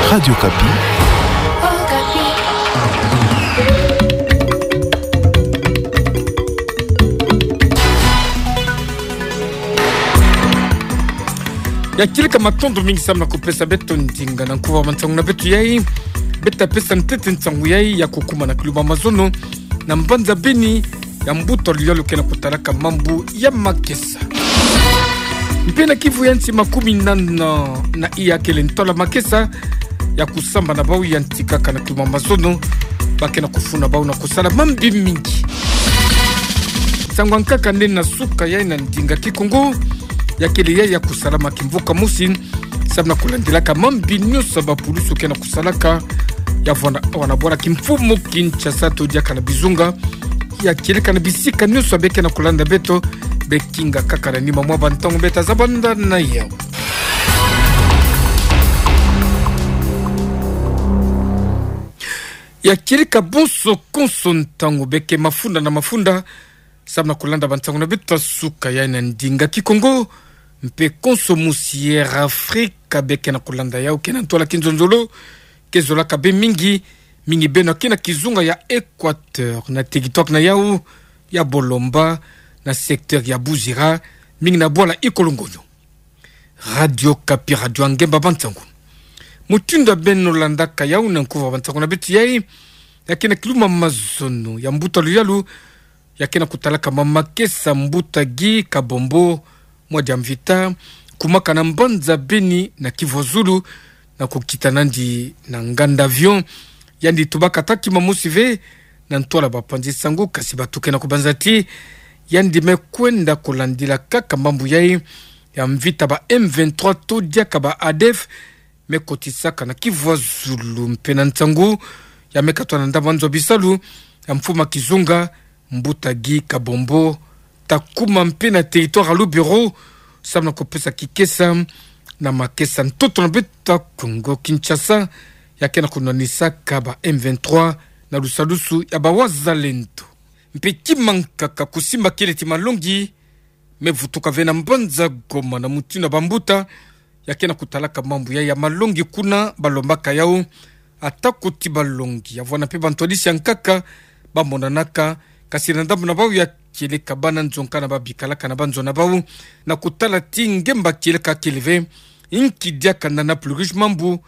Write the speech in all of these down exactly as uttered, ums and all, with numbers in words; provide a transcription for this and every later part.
Radio Okapi. Ya kieleka matondo mingi samu na kupesa beto ndinga na nkuva wa mantangu na beto yai. Beta pesa ntete ntangu yai ya kukuma na kiluma mazono na mbanza Beni, ya mbuta luyalu ke na kutalaka mambu ya makesa. Mpe na kivu ya nsi, makumi nana na iya kele ntola makesa ya kusamba na bau ya nti kaka na kiluma mazono, ba ke na kufuna bau na kusala mambi mingi. Ntangu ya nkaka nde na suka yai na ndinga Kikongo, ya kele yai ya kusalama kimvuka mosi, samu na kulandilaka mambi nyonso ya bapulusu ke na kusalaka, ya vwanda, wana bwala kimfumu Kinshasa to diaka na bizunga, ya kieleka na bisika nyonso ya be ke na kulanda beto, be kinga kaka na nima mwa bantangu beta zabanda na yau. Ya kieleka bonso konso ntangu be ke mafunda na mafunda, samu na kulanda bantangu na beto ya suka yai na ndinga Kikongo, mpe konso mosi Air Afrika be ke na kulanda yau ke na ntwala kinzonzolo, ke zolaka be mingi, mingi beno ke na kizunga ya Equateur, na territoire na yau ya Bolomba, na secteur ya Buzira, mingi na bwala Ikolongonyo. Radio Okapi, radio ya ngemba bantangu. Mutindu ya beno landaka yau na nkuva wa bantangu na beto yai, ya ke na kiluma mazono, ya mbuta luyalu ya ke na kutalaka ma makesa, mbuta Guy Kabombo Mwadia Mvita, kumaka na mbanza Beni na kivu ya zulu, na kukita nandi na nganda avion. Yandi tubaka ta kima mosi ve na ntwala bapanzi sango, kasi bato ke na kubanza ti yandi me kwenda kulandila kaka mambu yai ya mvita ba M vingt-trois to diaka ba ADF me kotisaka na kivu ya zulu. Mpe na ntangu ya me katwa na ndambu ya nzo bisalu ya mfumu ya kizunga, mbuta Guy Kabombo ta kuma mpe na territoire ya Lubero, samu na kupesa kikesa na makesa ntoto na beto ya Kongo Kinshasa, ya ke na kunwanisaka ba M vingt-trois na lusalusu ya ba wazalendo. Mpe kima nkaka, kusimba kieleti malongi me vutuka ve na mbanza Goma na mutindu ya bambuta ya ke na kutalaka mambu yai ya malongi kuna, balombaka yau ata kuti balongi ya vwanda mpe bantwadisi ya nkaka bamonanaka, kasi na ndambu na bau ya kieleka bana nzo nkana babikalaka na banzo na bau, na kutala ti ngemba kieleka kele ve. Inki diaka na na plus riche mambu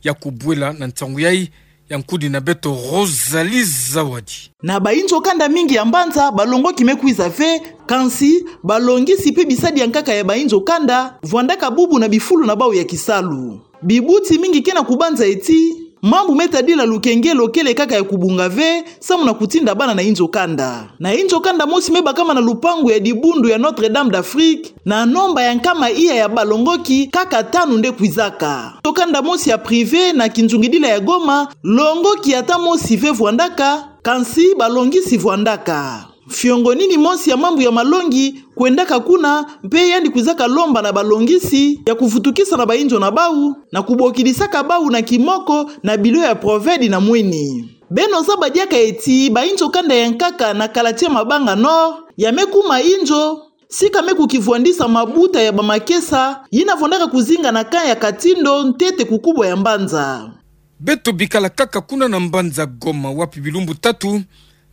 ya kubwela na ntangu yai, ya nkudi na beto Rosalie Zawadi. Na bainzo kanda mingi ya mbanza, balongoki me kwiza ve, kansi balongisi mpe bisadi ya nkaka ya bainzo kanda vwandaka bubu na bifulu na bau ya kisalu. Bibuti mingi ke na kubanza eti mambu me tadila lukengelo kele kaka ya kubunga ve, samu na kutinda bana na inzo kanda. Na inzo kanda mosi me bakama na lupangu ya dibundu ya Notre-Dame d'Afrique, na nomba ya nkama iya ya balongoki, kaka tanu nde kwizaka. Inzo kanda mosi ya privé na kinzungidila ya Goma, longoki ata mosi ve vwandaka, kansi balongisi vwandaka. Fiongo nini mosi ya mambu ya malongi kwendaka kuna, mpe yandi kwizaka lomba na balongisi ya kuvutukisa na bainzo na bau, na kubokidisaka bau na kimoko na bilo ya Proved na Mwini. Beno zaba diaka eti bainzo kanda ya nkaka na Calatie-Mabanga Nord ya me kuma inzo sika me kukivwandisa mabuta ya bamakesa yina vwandaka kuzinga na camp ya Katindo ntete ku kubwa ya mbanza. Beto bikala kaka kuna na mbanza Goma, wapi bilumbu tatu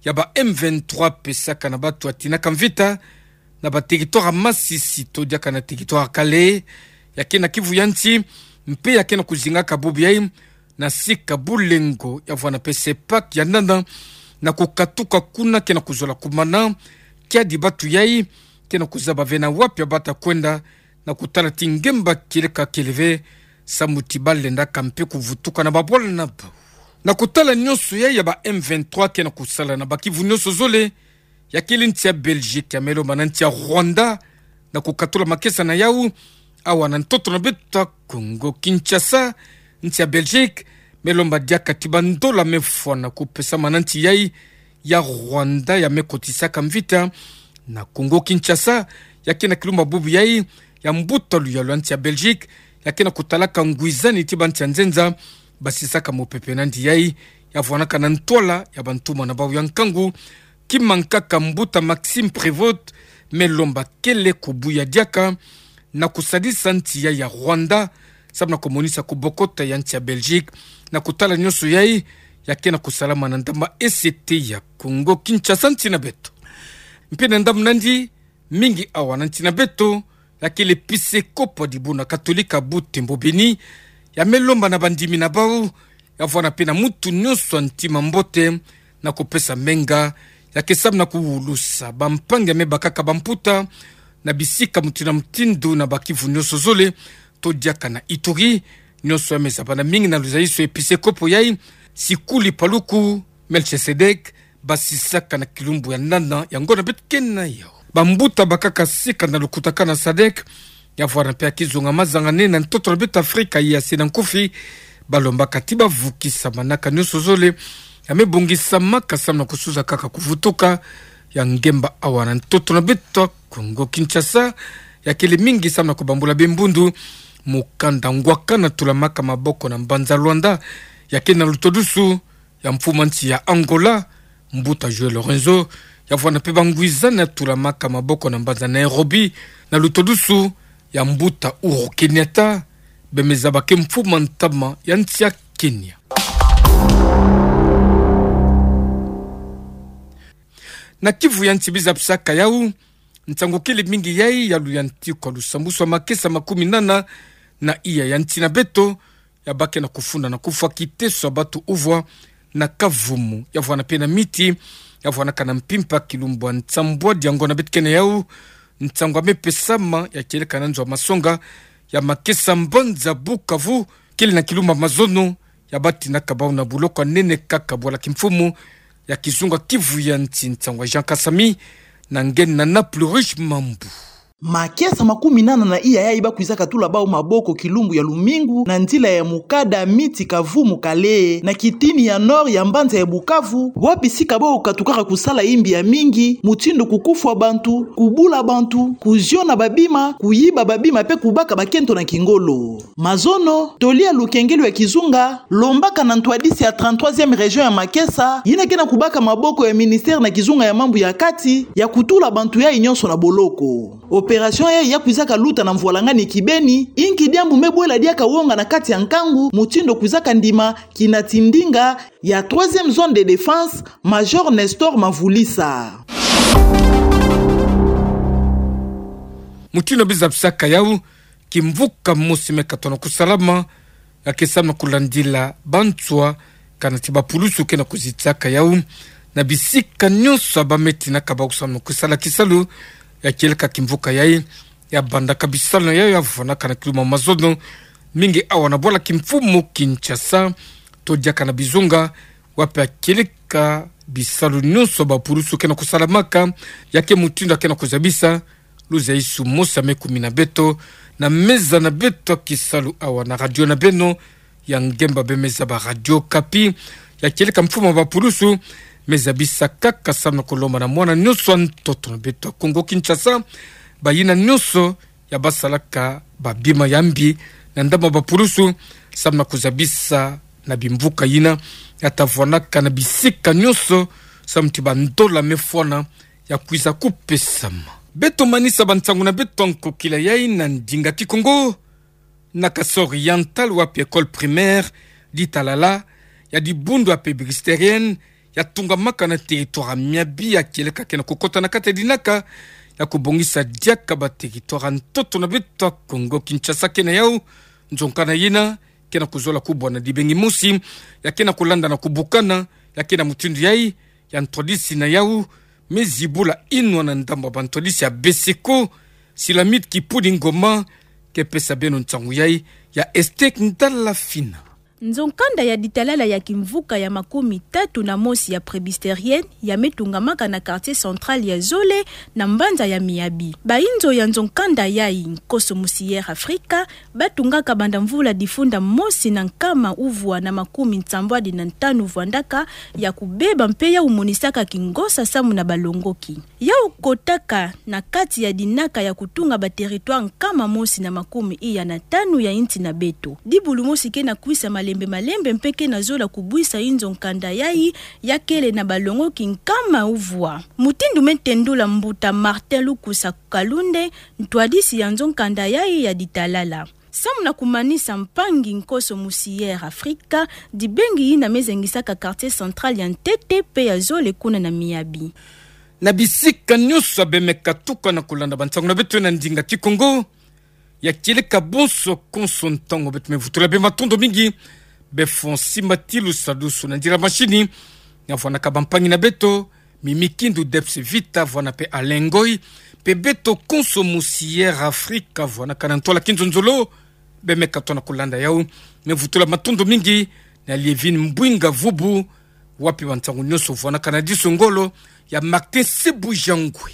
ya ba M vingt-trois pesaka na bato ya tinaka mvita na ba territoire ya Masisi to diaka na territoire ya Kalehe, ya ke na Kivu ya nsi, mpe ya ke na kuzingaka bubu yai na sika Bulengo ya vwanda mpe Sepak ya Ndanda, na kukatuka kuna ke na kuzola kumana, kiadi bato yai ke na kuzaba ve na wapi ya bata kwenda, na kutala ti ngemba kieleka kele ve, samu ti balendaka mpe kuvutuka na babwala na bau. Na kutala nyonso yai ya ba M vingt-trois ke na kusala na bakivu nyonso zole, ya kele nsi ya Belgique ya me lomba na nsi ya Rwanda na kukatula makesa na yau awa na ntoto na beto ya Kongo Kinshasa. Nsi ya Belgique me lomba diaka ti bandola me fwana kupesama na nsi yai ya Rwanda ya me kotisaka mvita na Kongo Kinshasa. Ya ke na kilumbu bubu yai, ya mbuta luyalu ya nsi ya Belgique ya ke na kutalaka ngwizani ti bansi ya nzenza basisaka mopepe na nsi yai, ya vwanaka na ntwala ya bantuma na bau ya nkangu. Kima nkaka, mbuta Maxime Prévost me lomba kele kubuya diaka na kusadisa nsi yai ya Rwanda samu na kumonisa kubokota ya nsi ya Belgique na kutala nionso yai ya ke na kusalama na ndamba E C T ya Congo Kinshasa nsi na beto. Mpe na ndambu nandi, mingi awa na nsi na beto, ya kele episekopo ya dibundu katolika Butembo Beni, ya me lomba na bandimi na bau, ya vwanda mpe na mutu nionso wa ntima mbote na kupesa menga, ya ke samu na kuwulusa bampangi ya me bakaka bamputa na bisika mutindu na mutindu na ba Kivu nionso zole, to diaka na Ituri. Nionso ya me zabana mingi na luzaiso ya episekopo yai, Sikuli Paluku Melchisedek, basisaka na kilumbu ya nana ya ngonda beto ke na yau. Bambuta bakaka sika na lukutakanu ya sadek, ya vwanda mpe ya kizunga mazangane na ntoto na beto Afrika ya se na nkufi, balombaka ti bavukisa manaka nionso zole ya me bongisamaka samu na kusuza kaka kuvutuka ya ngemba awa na ntoto na beto Congo Kinshasa, ya kele mingi samu na kubambula bembundu. Mukanda ngwakana tulamaka maboko na mbanza Luanda, ya ke na lutodusu ya mfumu a nsi ya Angola, mbuta João Lourenço, ya vwanda mpe bangwizana tulamaka maboko na mbanza Nairobi, na lutodusu ya mbuta Uhuru Kenyatta, be me zaba ke mfumu a ntama ya nsi ya Kenya. Na Kivu ya nsi bizapisaka yau, nsangu kele mingi yai ya luyantikwa lusambusu wa makesa makumi nana na iya ya nsi na beto, ya baki na kufunda na kufwa kiteso ya batu uvwa na Kavumu, ya vwanda mpe na miti, ya vwandaka na mpimpa kilumbu ya nsambwadi ya ngonda beto ke na yau. Nsangu ya me pesama ya kieleka na nzo ya masonga ya makesa mbanza Bukavu, kele na kilumbu ya mazono, ya bati na kabau na buloko ya nene kaka bwala kimfumu ya kizunga Kivu ya nsi, nsangu ya Jean Kasami, na nge na Plus Riche Mambu. Makesa makumi nana na iya yai bakwizaka tula bau maboko kilumbu ya lumingu na nzila ya mukada Miti Kavumu Kale, na kitini ya nord ya mbanza ya Bukavu, wapi sika bau katukaka kusala imbi ya mingi, mutindu kukufwa bantu, kubula bantu, kuziona babima, kuyiba babima mpe kubaka bakento na kingolo. Mazono, toli ya lukengelo ya kizunga lombaka na ntwadisi ya trente-troisième région ya makesa, yina ke na kubaka maboko ya ministère na kizunga ya mambu ya kati, ya kutula bantu yai nionso na boloko. Opération yai ya kwizaka luta na mvwalangani kibeni, inki diambu me bwela diaka wonga na kati ya nkangu, mutindu kwizaka ndima kinati ndinga ya troisième zone de défense, Major Nestor Mavulisa. Mutindu bizapisaka yau, kimvuka mosi me katono kusalama, ya ke samu na kulandila banswa, kanati bapulusu ke na kuzitisaka yau na bisika nionso ya ba me tinaka bau samu na kusala kisalu, ya kieleka kimvuka yai, ya bandaka bisalu na yau, ya vwandaka na kilumbu ya mazono, mingi awa na bwala kimfumu Kinshasa, to diaka na bizunga, wapi ya kieleka bisalu nionso ya bapulusu ke na kusalamaka, ya ke mutindu ya ke na kuzabisa luzaisu mosi ya me kumina beto na meza na beto ya kisalu awa na radio na beno ya ngemba be me zaba Radio Okapi, ya kieleka mfumu ya bapulusu me zabisa kaka samu na kulomba na mwana nionso ya ntoto na beto ya Congo Kinshasa, bayina nionso ya basalaka babima ya mbi na ndambu ya bapulusu, samu na kuzabisa na bimvuka yina, ya ta vwandaka na bisika nionso, samu ti bandola me fwana ya kwiza kupesama. Beto manisa bansangu na beto ya nkokila yai na ndinga Kikongo. Na Kasaï Oriental, wapi école primaire Ditalala ya dibundu ya Presbytérienne, ya tungamaka na territoire ya Miabi, ya kieleka ke na kukota na kati ya dinaka ya kubongisa diaka ba territoire ya ntoto na beto ya Congo Kinshasa ke na yau. Nzo nkanda yina ke na kuzola kubwa na dibengi mosi, ya ke na kulanda na kubukana, ya ke na mutindu yai ya ntwadisi na yau me zibula inwa na ndambu ya bantwadisi ya Beseko. Silamit Kipudi Ngoma ke pesa beno nsangu yai, ya Estek Ndala Fina. Nzo nkanda ya Ditalala ya kimvuka ya makumi tatu na mosi ya Presbytérienne, ya me tungamaka na quartier central ya zole, na mbanza ya Miabi. Bayinzo ya nzo nkanda yai, Nkoso Musier Afrika, batungaka banda mvula difunda mosi na nkama uvwa na makumi nsambwadi na ntanu vwandaka, ya kubeba mpe yau monisaka kingosa samu na balongoki. Yau kotaka na kati ya dinaka ya kutunga ba territoire nkama mosi na makumi iya na tanu ya insi na beto. Dibulu mosi ke na kwisa malembe malembe mpe ke na zola kubwisa inzo nkanda yai, ya kele na balongoki nkama uvwa. Mutindu me tendula mbuta Martin Lukusa Kalunde, ntwadisi ya nzo nkanda yai ya Ditalala. Samu na kumanisa mpangi nkonso musi Air Africa, dibengi yina mezengisaka quartier central ya ntete pe ya zole kuna na miyabi. Na bisika nyonso bemeka tuka na kulanda bansangu na beto na ndinga Kikongo, ya kieleka bonso konso ntangu beto mevutula bima matondo mingi, be fo nsi matilu sadusu na ndira mashini, na vwanaka bampangi na beto, Mimi Kindu, Debs Vita, vwana pe Alain Ngoy, pe beto konso musi Air Africa, vwanaka na ntwala Kinzonzolo, bemeka tona kulanda yau, mevutula matondo mingi, na Lievine Mbwinga Vubu, wapi bansangu nyonso vwanaka na diso ngolo, ya Martin Sebujangwe.